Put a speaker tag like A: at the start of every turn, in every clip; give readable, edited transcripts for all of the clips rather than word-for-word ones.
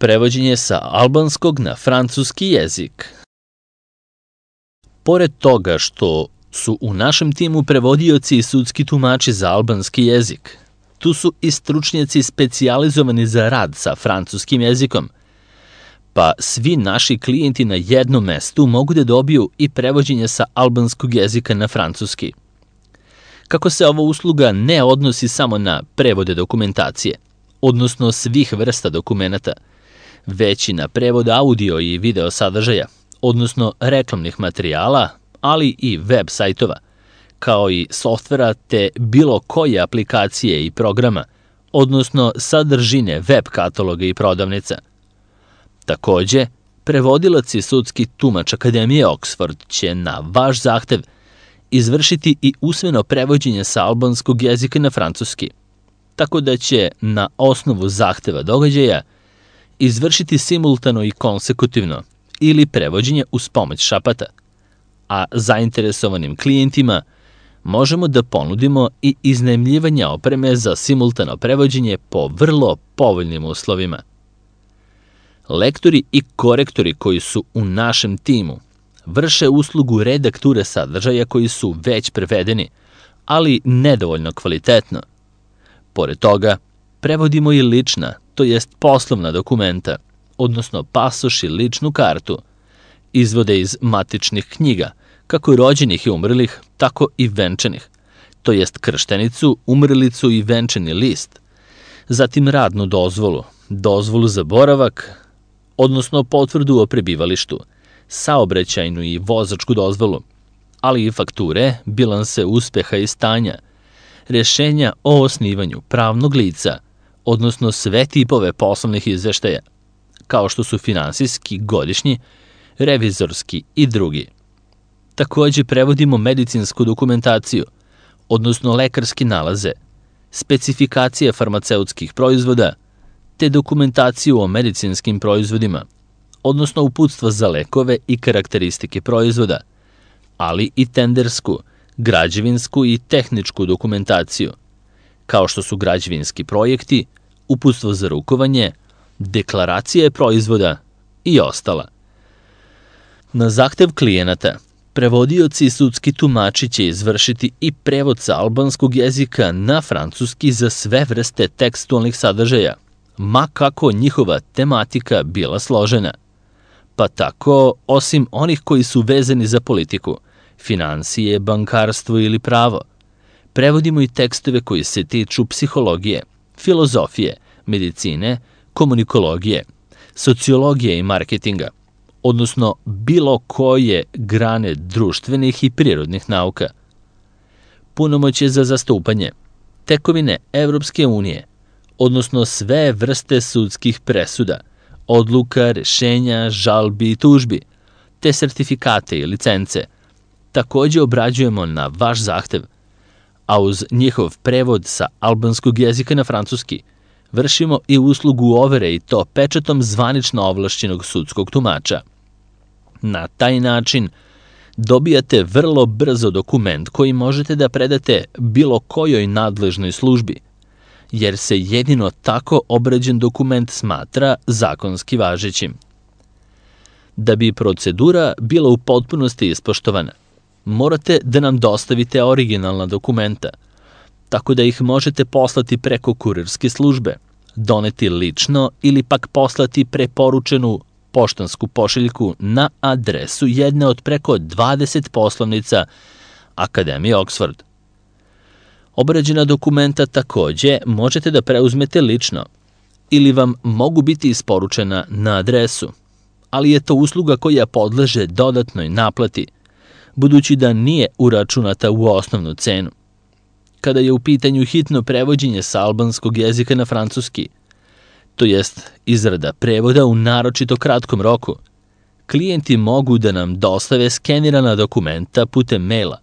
A: Prevođenje sa albanskog na francuski jezik. Pored toga što su u našem timu prevodioci i sudski tumači za albanski jezik, tu su i stručnjaci specijalizovani za rad sa francuskim jezikom, pa svi naši klijenti na jednom mestu mogu da dobiju i prevođenje sa albanskog jezika na francuski. Kako se ova usluga ne odnosi samo na prevode dokumentacije, odnosno svih vrsta dokumenata, već i na prevod audio i video sadržaja, odnosno reklamnih materijala, ali i web sajtova, kao i softvera te bilo koje aplikacije i programa, odnosno sadržine web kataloga i prodavnica. Takođe, prevodilac i sudski tumač Akademije Oxford će na vaš zahtev izvršiti i usmeno prevođenje sa albanskog jezika na francuski, tako da će na osnovu zahteva događaja izvršiti simultano i konsekutivno ili prevođenje uz pomoć šapata, a zainteresovanim klijentima možemo da ponudimo i iznajmljivanje opreme za simultano prevođenje po vrlo povoljnim uslovima. Lektori i korektori koji su u našem timu vrše uslugu redakture sadržaja koji su već prevedeni, ali nedovoljno kvalitetno. Pored toga, prevodimo i lična, to jest poslovna dokumenta, odnosno pasoš i ličnu kartu, izvode iz matičnih knjiga, kako rođenih i umrlih, tako i venčanih, to jest krštenicu, umrlicu i venčani list, zatim radnu dozvolu, dozvolu za boravak, odnosno potvrdu o prebivalištu, saobraćajnu i vozačku dozvolu, ali i fakture, bilanse uspeha i stanja, rješenja o osnivanju pravnog lica, odnosno sve tipove poslovnih izveštaja, kao što su finansijski, godišnji, revizorski i drugi. Takođe prevodimo medicinsku dokumentaciju, odnosno lekarske nalaze, specifikacije farmaceutskih proizvoda, te dokumentaciju o medicinskim proizvodima, odnosno uputstva za lekove i karakteristike proizvoda, ali i tendersku, građevinsku i tehničku dokumentaciju, kao što su građevinski projekti, uputstvo za rukovanje, deklaracije proizvoda i ostala. Na zahtev klijenata, prevodioci i sudski tumači će izvršiti i prevod sa albanskog jezika na francuski za sve vrste tekstualnih sadržaja, ma kako njihova tematika bila složena. Pa tako, osim onih koji su vezani za politiku, finansije, bankarstvo ili pravo, prevodimo i tekstove koji se tiču psihologije, filozofije, medicine, komunikologije, sociologije i marketinga, odnosno bilo koje grane društvenih i prirodnih nauka. Punomoćje za zastupanje, tekovine Evropske unije, odnosno sve vrste sudskih presuda, odluka, rešenja, žalbi i tužbi, te sertifikate i licence, takođe obrađujemo na vaš zahtev, a uz njihov prevod sa albanskog jezika na francuski vršimo i uslugu overe i to pečatom zvanično ovlašćenog sudskog tumača. Na taj način dobijate vrlo brzo dokument koji možete da predate bilo kojoj nadležnoj službi, jer se jedino tako obrađen dokument smatra zakonski važećim. Da bi procedura bila u potpunosti ispoštovana, morate da nam dostavite originalna dokumenta, tako da ih možete poslati preko kurirske službe, doneti lično ili pak poslati preporučenu poštansku pošiljku na adresu jedne od preko 20 poslovnica Akademije Oxford. Obrađena dokumenta takođe možete da preuzmete lično ili vam mogu biti isporučena na adresu, ali je to usluga koja podleže dodatnoj naplati, budući da nije uračunata u osnovnu cenu. Kada je u pitanju hitno prevođenje sa albanskog jezika na francuski, to jest izrada prevoda u naročito kratkom roku, klijenti mogu da nam dostave skenirana dokumenta putem maila,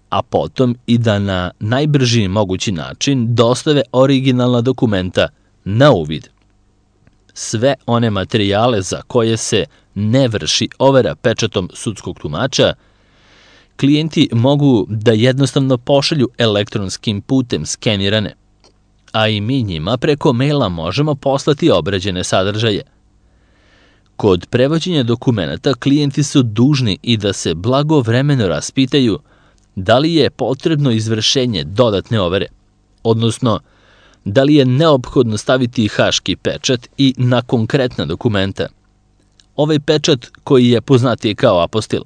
A: a potom i da na najbrži mogući način dostave originalna dokumenta na uvid. Sve one materijale za koje se ne vrši overa pečatom sudskog tumača, klijenti mogu da jednostavno pošalju elektronskim putem skenirane, a i mi njima preko maila možemo poslati obrađene sadržaje, Kod prevođenja dokumenata klijenti su dužni i da se blagovremeno raspitaju da li je potrebno izvršenje dodatne overe, odnosno da li je neophodno staviti haški pečat i na konkretna dokumenta. Ovaj pečat, koji je poznatiji kao apostil,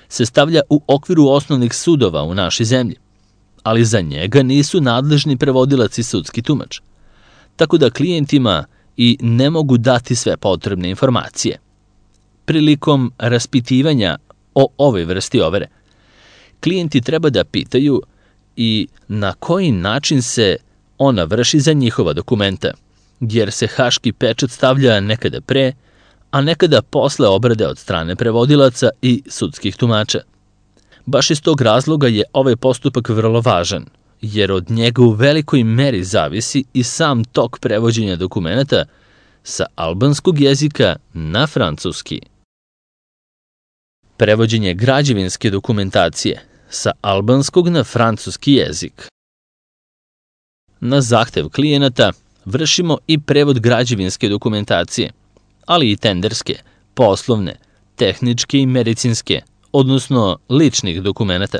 A: se stavlja u okviru osnovnih sudova u našoj zemlji, ali za njega nisu nadležni prevodilac i sudski tumač, tako da klijentima i ne mogu dati sve potrebne informacije. Prilikom raspitivanja o ovoj vrsti overe, klijenti treba da pitaju i na koji način se ona vrši za njihova dokumenta, jer se haški pečat stavlja nekada pre, a nekada posle obrade od strane prevodilaca i sudskih tumača. Baš iz tog razloga je ovaj postupak vrlo važan, jer od njega u velikoj meri zavisi i sam tok prevođenja dokumenata sa albanskog jezika na francuski. Prevođenje građevinske dokumentacije sa albanskog na francuski jezik. Na zahtev klijenata vršimo i prevod građevinske dokumentacije, ali i tenderske, poslovne, tehničke i medicinske, odnosno ličnih dokumenata.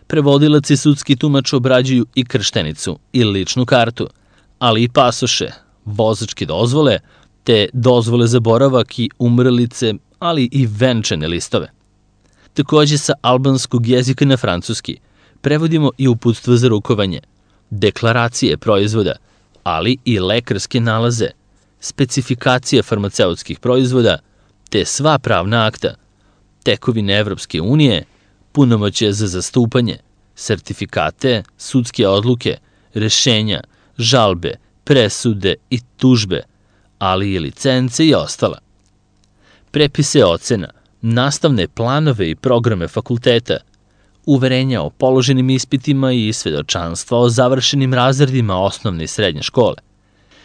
A: Prevodilac i sudski tumač obrađuju i krštenicu i ličnu kartu, ali i pasoše, vozačke dozvole, te dozvole za boravak i umrlice, ali i venčane listove. Takođe sa albanskog jezika na francuski prevodimo i uputstva za rukovanje, deklaracije proizvoda, ali i lekarske nalaze, specifikacije farmaceutskih proizvoda, te sva pravna akta, tekovine Evropske unije, punomoćje za zastupanje, sertifikate, sudske odluke, rešenja, žalbe, presude i tužbe, ali i licence i ostala. Prepise ocena, nastavne planove i programe fakulteta, uverenja o položenim ispitima i svedočanstva o završenim razredima osnovne i srednje škole,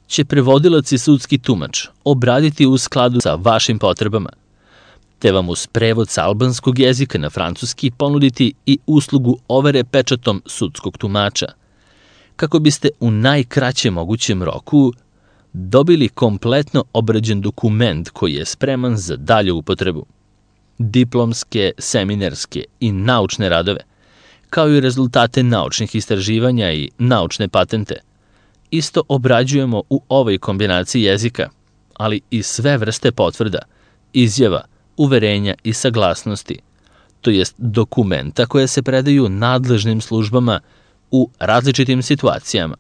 A: će prevodilac i sudski tumač obraditi u skladu sa vašim potrebama, te vam uz prevod sa albanskog jezika na francuski ponuditi i uslugu overe pečatom sudskog tumača, kako biste u najkraćem mogućem roku dobili kompletno obrađen dokument koji je spreman za dalju upotrebu. Diplomske, seminarske i naučne radove, kao i rezultate naučnih istraživanja i naučne patente, isto obrađujemo u ovoj kombinaciji jezika, ali i sve vrste potvrda, izjava, uverenja i saglasnosti, to jest dokumenta koje se predaju nadležnim službama u različitim situacijama.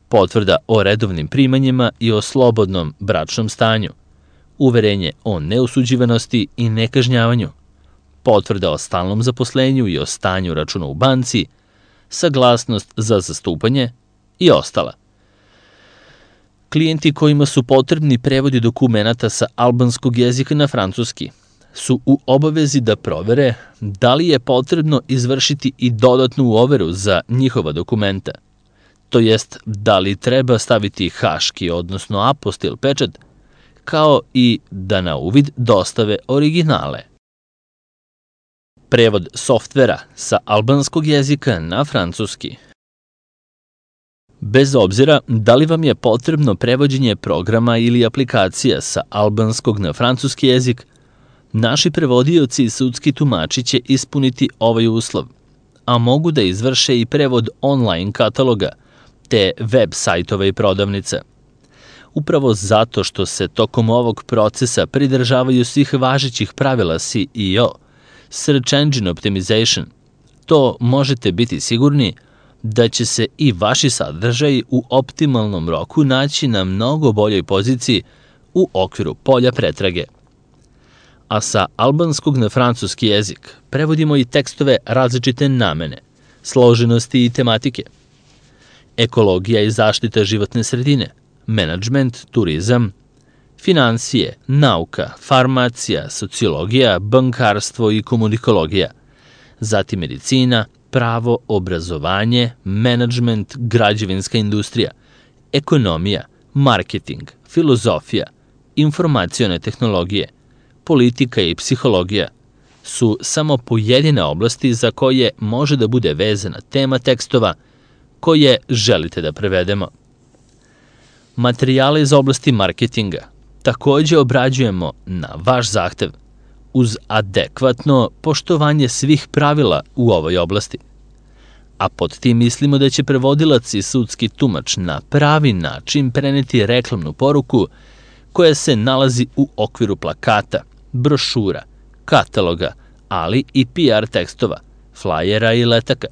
A: Potvrda o redovnim primanjima i o slobodnom bračnom stanju, uverenje o neosuđivanosti i nekažnjavanju, potvrda o stalnom zaposlenju i o stanju računa u banci, saglasnost za zastupanje i ostala. Klijenti kojima su potrebni prevodi dokumenata sa albanskog jezika na francuski su u obavezi da provere da li je potrebno izvršiti i dodatnu overu za njihova dokumenta, to jest da li treba staviti haški, odnosno apostil pečat, kao i da na uvid dostave originale. Prevod softvera sa albanskog jezika na francuski. Bez obzira da li vam je potrebno prevođenje programa ili aplikacija sa albanskog na francuski jezik, naši prevodioci i sudski tumači će ispuniti ovaj uslov, a mogu da izvrše i prevod online kataloga, te web sajtova i prodavnica. Upravo zato što se tokom ovog procesa pridržavaju svih važećih pravila SEO, Search Engine Optimization, to možete biti sigurni da će se i vaši sadržaji u optimalnom roku naći na mnogo boljoj poziciji u okviru polja pretrage. A sa albanskog na francuski jezik prevodimo i tekstove različite namene, složenosti i tematike, ekologija i zaštita životne sredine, menadžment, turizam, finansije, nauka, farmacija, sociologija, bankarstvo i komunikologija, zatim medicina, pravo, obrazovanje, menadžment, građevinska industrija, ekonomija, marketing, filozofija, informacione tehnologije, politika i psihologija su samo pojedine oblasti za koje može da bude vezana tema tekstova koje želite da prevedemo. Materijale iz oblasti marketinga, takođe obrađujemo na vaš zahtev uz adekvatno poštovanje svih pravila u ovoj oblasti. A pod tim mislimo da će prevodilac i sudski tumač na pravi način preneti reklamnu poruku koja se nalazi u okviru plakata, brošura, kataloga, ali i PR tekstova, flajera i letaka.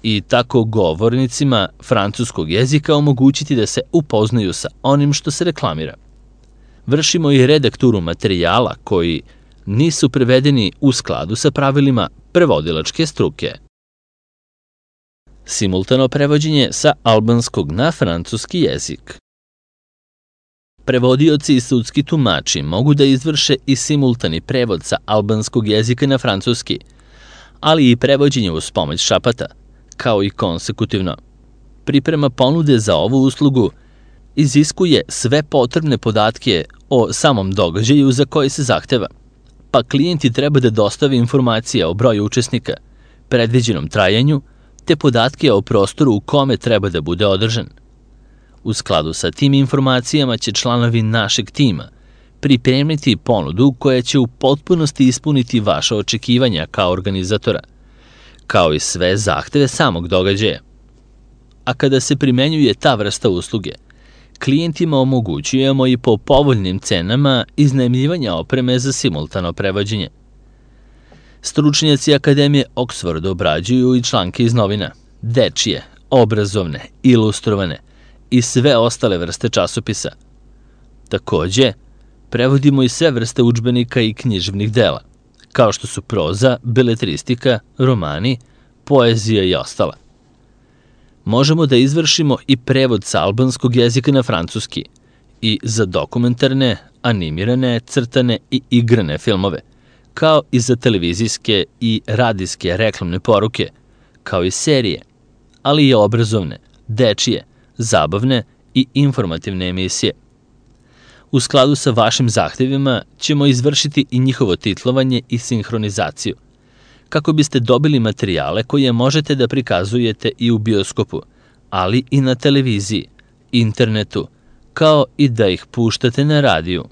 A: I tako govornicima francuskog jezika omogućiti da se upoznaju sa onim što se reklamira. Vršimo i redakturu materijala koji nisu prevedeni u skladu sa pravilima prevodilačke struke. Simultano prevođenje sa albanskog na francuski jezik. Prevodioci i sudski tumači mogu da izvrše i simultani prevod sa albanskog jezika na francuski, ali i prevođenje uz pomoć šapata, kao i konsekutivno. Priprema ponude za ovu uslugu iziskuje sve potrebne podatke o samom događaju za koji se zahteva, pa klijenti treba da dostavi informacije o broju učesnika, predviđenom trajanju, te podatke o prostoru u kome treba da bude održan. U skladu sa tim informacijama će članovi našeg tima pripremiti ponudu koja će u potpunosti ispuniti vaše očekivanja kao organizatora, kao i sve zahteve samog događaja. A kada se primenjuje ta vrsta usluge, klijentima omogućujemo i po povoljnim cenama iznajmljivanja opreme za simultano prevođenje. Stručnjaci Akademije Oxford obrađuju i članke iz novina, dečije, obrazovne, ilustrovane i sve ostale vrste časopisa. Takođe, prevodimo i sve vrste udžbenika i književnih dela, kao što su proza, beletristika, romani, poezija i ostala. Možemo da izvršimo i prevod sa albanskog jezika na francuski i za dokumentarne, animirane, crtane i igrane filmove, kao i za televizijske i radijske reklamne poruke, kao i serije, ali i obrazovne, dečije, zabavne i informativne emisije. U skladu sa vašim zahtevima ćemo izvršiti i njihovo titlovanje i sinhronizaciju, kako biste dobili materijale koje možete da prikazujete i u bioskopu, ali i na televiziji, internetu, kao i da ih puštate na radiju.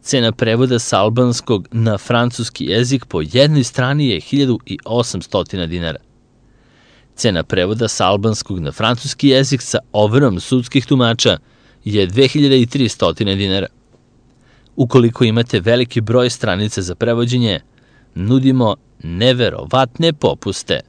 A: Cena prevoda sa albanskog na francuski jezik po jednoj strani je 1800 dinara. Cena prevoda sa albanskog na francuski jezik sa overom sudskih tumača je 2300 dinara. Ukoliko imate veliki broj stranica za prevođenje, nudimo neverovatne popuste.